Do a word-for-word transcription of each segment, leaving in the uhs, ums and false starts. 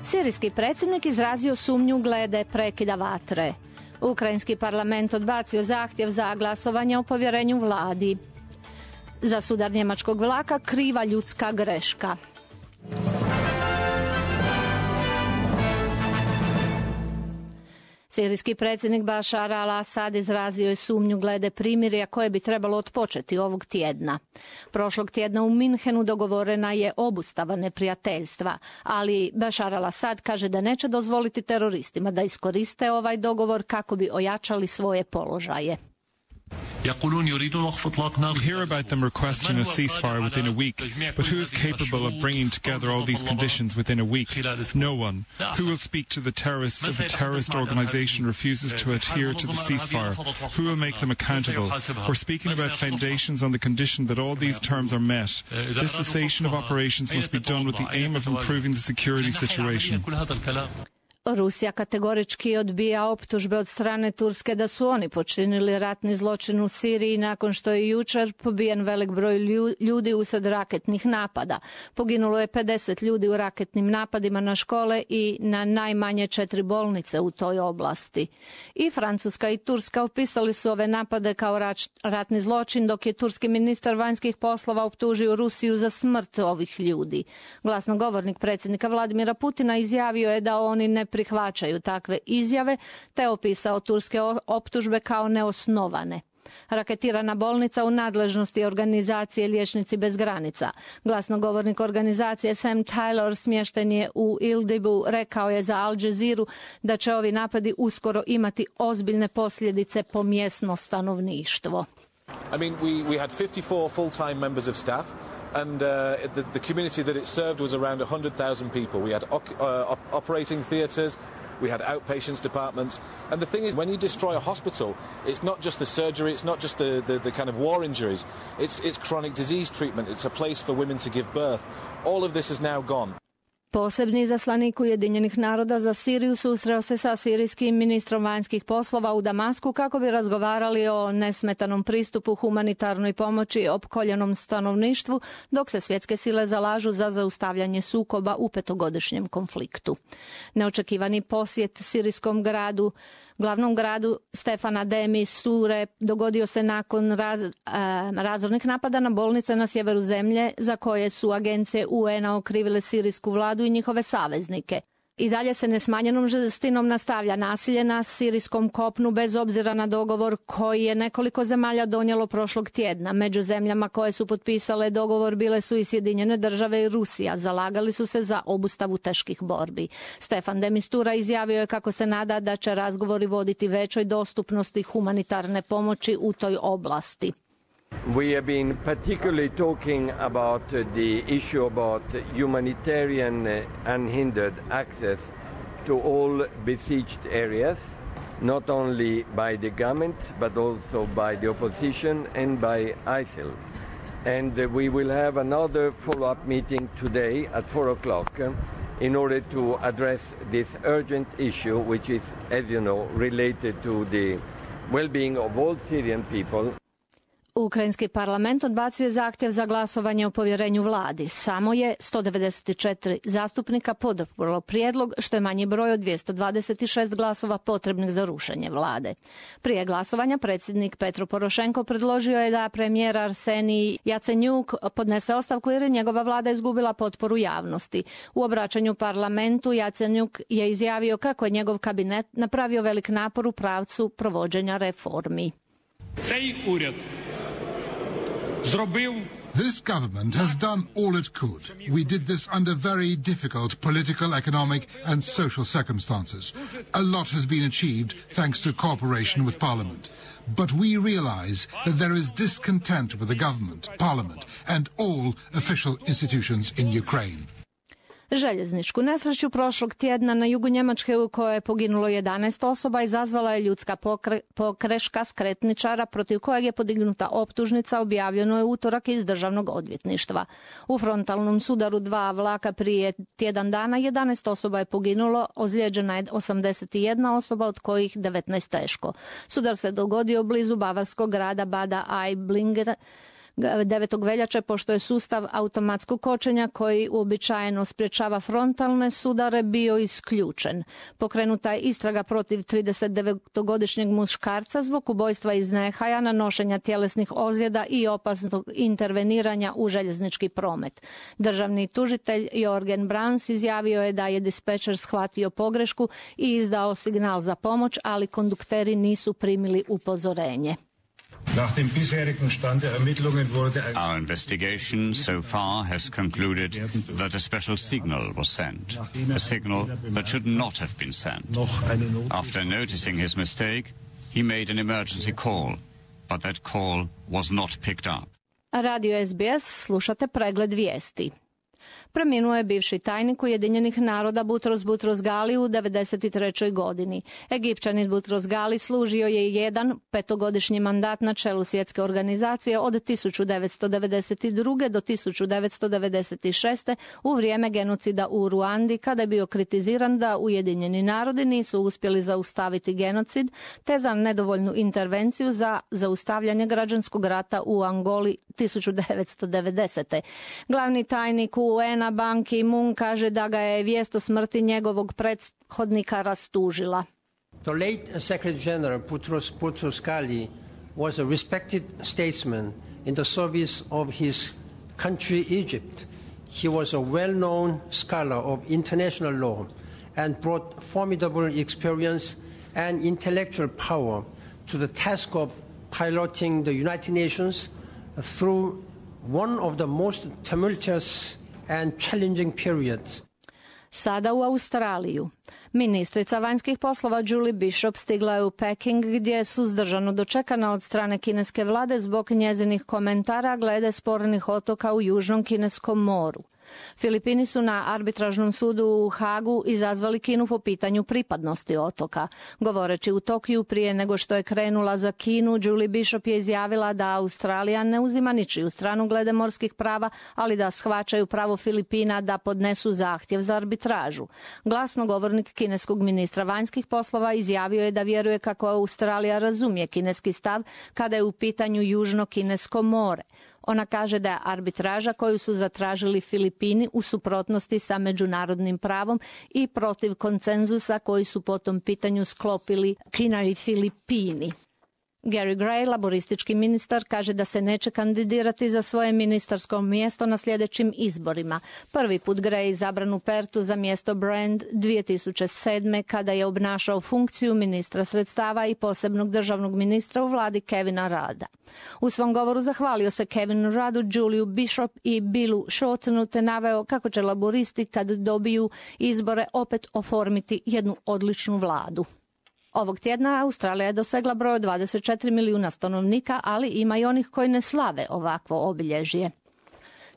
Sirijski predsjednik izrazio sumnju glede prekida vatre. Ukrajinski parlament odbacio zahtjev za glasovanje o povjerenju vladi. Za sudar njemačkog vlaka kriva ljudska greška. Sirijski predsjednik Bashar al-Assad izrazio je sumnju glede primirja koje bi trebalo otpočeti ovog tjedna. Prošlog tjedna u Minhenu dogovorena je obustava neprijateljstva, ali Bashar al-Assad kaže da neće dozvoliti teroristima da iskoriste ovaj dogovor kako bi ojačali svoje položaje. We hear about them requesting a ceasefire within a week, but who is capable of bringing together all these conditions within a week? No one. Who will speak to the terrorists if a terrorist organization refuses to adhere to the ceasefire? Who will make them accountable? We're speaking about foundations on the condition that all these terms are met. This cessation of operations must be done with the aim of improving the security situation. Rusija kategorički odbija optužbe od strane Turske da su oni počinili ratni zločin u Siriji nakon što je jučer pobijen velik broj ljudi usred raketnih napada. Poginulo je pedeset ljudi u raketnim napadima na škole i na najmanje četiri bolnice u toj oblasti. I Francuska i Turska opisali su ove napade kao ratni zločin, dok je turski ministar vanjskih poslova optužio Rusiju za smrt ovih ljudi. Glasnogovornik predsjednika Vladimira Putina izjavio je da oni ne prihvaćaju takve izjave, te opisao turske optužbe kao neosnovane. Raketirana bolnica u nadležnosti organizacije Liječnici bez granica. Glasnogovornik organizacije Sam Taylor smješten je u Idlibu, rekao je za Al Jazeera da će ovi napadi uskoro imati ozbiljne posljedice po mjesno stanovništvo. I mean, we, we had fifty-four full-time members of staff. And uh, the, the community that it served was around one hundred thousand people. We had uh, op operating theatres, we had outpatients departments. And the thing is, when you destroy a hospital, it's not just the surgery, it's not just the, the, the kind of war injuries, it's, it's chronic disease treatment, it's a place for women to give birth. All of this is now gone. Posebni izaslanik Ujedinjenih naroda za Siriju susreo se sa sirijskim ministrom vanjskih poslova u Damasku kako bi razgovarali o nesmetanom pristupu humanitarnoj pomoći opkoljenom stanovništvu, dok se svjetske sile zalažu za zaustavljanje sukoba u petogodišnjem konfliktu. Neočekivani posjet sirijskom gradu Glavnom gradu Stefana de Misture dogodio se nakon raz, e, razornih napada na bolnice na sjeveru zemlje za koje su agencije U N-a okrivile sirijsku vladu i njihove saveznike. I dalje se nesmanjenom žestinom nastavlja nasilje na sirijskom kopnu bez obzira na dogovor koji je nekoliko zemalja donijelo prošlog tjedna. Među zemljama koje su potpisale dogovor bile su i Sjedinjene države i Rusija. Zalagali su se za obustavu teških borbi. Stefan de Mistura izjavio je kako se nada da će razgovori voditi većoj dostupnosti humanitarne pomoći u toj oblasti. We have been particularly talking about uh, the issue about humanitarian uh, unhindered access to all besieged areas, not only by the government but also by the opposition and by I S I L. And uh, we will have another follow-up meeting today at four o'clock uh, in order to address this urgent issue, which is, as you know, related to the well-being of all Syrian people. Ukrajinski parlament odbacio je zahtjev za glasovanje o povjerenju vladi. Samo je sto devedeset četiri zastupnika poduprlo prijedlog, što je manji broj od dvjesto dvadeset šest glasova potrebnih za rušenje vlade. Prije glasovanja predsjednik Petro Porošenko predložio je da premijer Arsenij Jacenjuk podnese ostavku jer je njegova vlada izgubila potporu javnosti. U obraćanju parlamentu Jacenjuk je izjavio kako je njegov kabinet napravio velik napor u pravcu provođenja reformi. Цей уряд зробив This government has done all it could. We did this under very difficult political, economic and social circumstances. A lot has been achieved thanks to cooperation with Parliament. But we realize that there is discontent with the government, Parliament and all official institutions in Ukraine. Željezničku nesreću prošlog tjedna na jugu Njemačke u kojoj je poginulo jedanaest osoba izazvala je ljudska pokre, pokreška skretničara protiv kojeg je podignuta optužnica, objavljeno je utorak iz državnog odvjetništva. U frontalnom sudaru dva vlaka prije tjedan dana jedanaest osoba je poginulo, ozlijeđena je osamdeset jedna osoba, od kojih devetnaest teško. Sudar se dogodio blizu bavarskog grada Bada Aiblinger, devetog veljače, pošto je sustav automatskog kočenja koji uobičajeno sprječava frontalne sudare bio isključen. Pokrenuta je istraga protiv tridesetdevetogodišnjeg muškarca zbog ubojstva iz nehaja, nanošenja tjelesnih ozljeda i opasnog interveniranja u željeznički promet. Državni tužitelj Jorgen Brans izjavio je da je dispečer shvatio pogrešku i izdao signal za pomoć, ali kondukteri nisu primili upozorenje. Our investigation so far has concluded that a special signal was sent, a signal that should not have been sent. After noticing his mistake, he made an emergency call, but that call was not picked up. Radio S B S, slušate pregled vijesti. Preminuo je bivši tajnik Ujedinjenih naroda Butros Butros Gali u devedeset trećoj godini. Egipćanin Butros Gali služio je jedan petogodišnji mandat na čelu svjetske organizacije od tisuću devetsto devedeset druge do tisuću devetsto devedeset šeste u vrijeme genocida u Ruandi, kada je bio kritiziran da Ujedinjeni narodi nisu uspjeli zaustaviti genocid, te za nedovoljnu intervenciju za zaustavljanje građanskog rata u Angoli tisuću devetsto devedesete. Glavni tajnik U N-a Ban Ki-moon kaže da ga je vijest o smrti njegovog prethodnika rastužila. The late Secretary General Butros Butros Ghali was a respected statesman in the service of his country Egypt. He was a well-known scholar of international law and brought formidable experience and intellectual power to the task of piloting the United Nations through one of the most tumultuous and challenging periods. Sada u Australiju. Ministrica vanjskih poslova Julie Bishop stigla je u Peking, gdje je suzdržano dočekana od strane kineske vlade zbog njezinih komentara glede spornih otoka u Južnom kineskom moru. Filipini su na arbitražnom sudu u Hagu izazvali Kinu po pitanju pripadnosti otoka. Govoreći u Tokiju prije nego što je krenula za Kinu, Julie Bishop je izjavila da Australija ne uzima ničiju stranu glede morskih prava, ali da shvaćaju pravo Filipina da podnesu zahtjev za arbitražu. Glasnogovornik kineskog ministra vanjskih poslova izjavio je da vjeruje kako Australija razumije kineski stav kada je u pitanju Južno kinesko more. Ona kaže da je arbitraža koju su zatražili Filipini u suprotnosti sa međunarodnim pravom i protiv konsenzusa koji su po tom pitanju sklopili Kina i Filipini. Gary Gray, laboristički ministar, kaže da se neće kandidirati za svoje ministarsko mjesto na sljedećim izborima. Prvi put Gray izabran u Pertu za mjesto Brand dvije tisuće sedme kada je obnašao funkciju ministra sredstava i posebnog državnog ministra u vladi Kevina Rudda. U svom govoru zahvalio se Kevinu Ruddu, Juliju Bishop i Billu Shortenu, te naveo kako će laboristi kad dobiju izbore opet oformiti jednu odličnu vladu. Ovog tjedna Australija je dosegla broj od dvadeset četiri milijuna stanovnika, ali ima i onih koji ne slave ovakvo obilježje.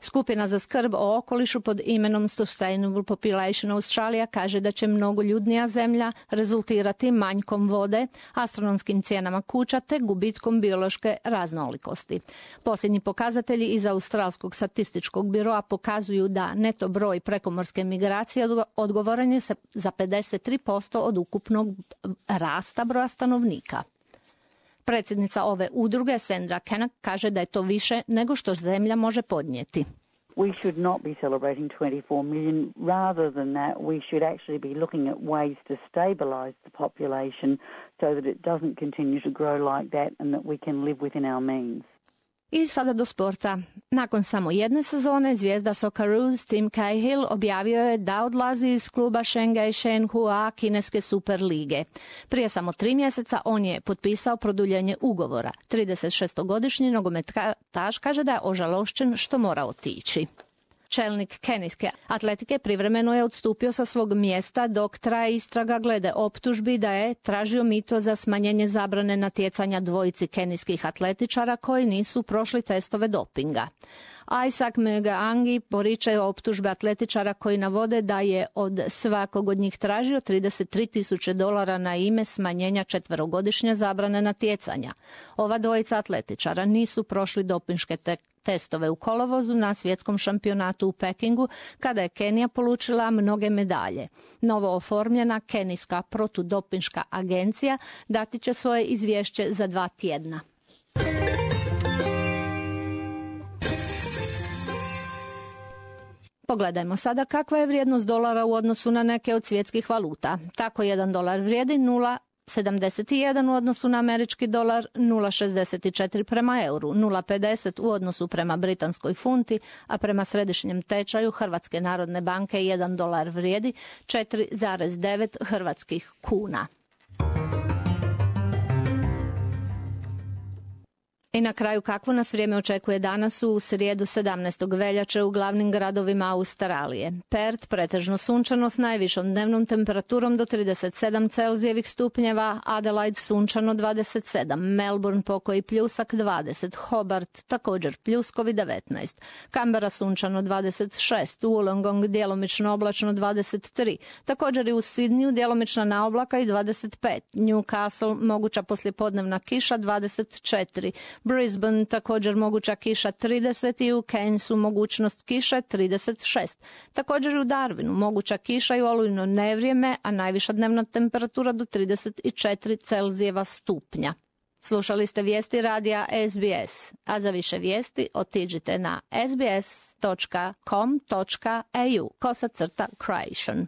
Skupina za skrb o okolišu pod imenom Sustainable Population Australia kaže da će mnogoljudnija zemlja rezultirati manjkom vode, astronomskim cijenama kuća te gubitkom biološke raznolikosti. Posljednji pokazatelji iz Australskog statističkog biroa pokazuju da neto broj prekomorske migracije odgovoran je za pedeset tri posto od ukupnog rasta broja stanovnika. Predsjednica ove udruge, Sandra Kennock, kaže da je to više nego što zemlja može podnijeti. We should not be celebrating twenty-four million. Rather than that, we should actually be looking at ways to stabilize the population so that it doesn't continue to grow like that and that we can live within our means. I sada do sporta. Nakon samo jedne sezone, zvijezda Socceroos Tim Cahill objavio je da odlazi iz kluba Shanghai Shenhua kineske super lige. Prije samo tri mjeseca on je potpisao produljenje ugovora. tridesetšestogodišnji nogometaš kaže da je ožalošćen što mora otići. Čelnik kenijske atletike privremeno je odstupio sa svog mjesta dok traje istraga glede optužbi da je tražio mito za smanjenje zabrane natjecanja dvojici kenijskih atletičara koji nisu prošli testove dopinga. Isaac Muigangi poriče optužbe atletičara koji navode da je od svakog od njih tražio trideset tri tisuće dolara na ime smanjenja četverogodišnje zabrane natjecanja. Ova dvojica atletičara nisu prošli dopinške te- testove u kolovozu na svjetskom šampionatu u Pekingu, kada je Kenija polučila mnoge medalje. Novo oformljena kenijska protudopinška agencija dati će svoje izvješće za dva tjedna. Pogledajmo sada kakva je vrijednost dolara u odnosu na neke od svjetskih valuta. Tako jedan dolar vrijedi nula zarez sedamdeset jedan u odnosu na američki dolar, nula zarez šezdeset četiri prema euru, nula zarez pedeset u odnosu prema britanskoj funti, a prema središnjem tečaju Hrvatske narodne banke jedan dolar vrijedi četiri zarez devet hrvatskih kuna. I na kraju kakvo nas vrijeme očekuje danas u srijedu sedamnaestog veljače u glavnim gradovima Australije. Perth pretežno sunčano s najvišom dnevnom temperaturom do trideset sedam Celzijevih stupnjeva, Adelaide sunčano dvadeset sedam, Melbourne pokoji pljusak dvadeset, Hobart također pljuskovi devetnaest, Canberra sunčano dvadeset šest, Wollongong djelomično oblačno dvadeset tri, također i u Sidneyu djelomična naoblaka i dvadeset pet, Newcastle moguća poslijepodnevna kiša dvadeset četiri, Brisbane također moguća kiša trideset i u Cairnsu mogućnost kiše trideset šest. Također i u Darwinu moguća kiša i olujno nevrijeme, a najviša dnevna temperatura do trideset četiri Celzijeva stupnja. Slušali ste vijesti radija S B S, a za više vijesti otiđite na s b s dot com dot a u kosacrta Croatian.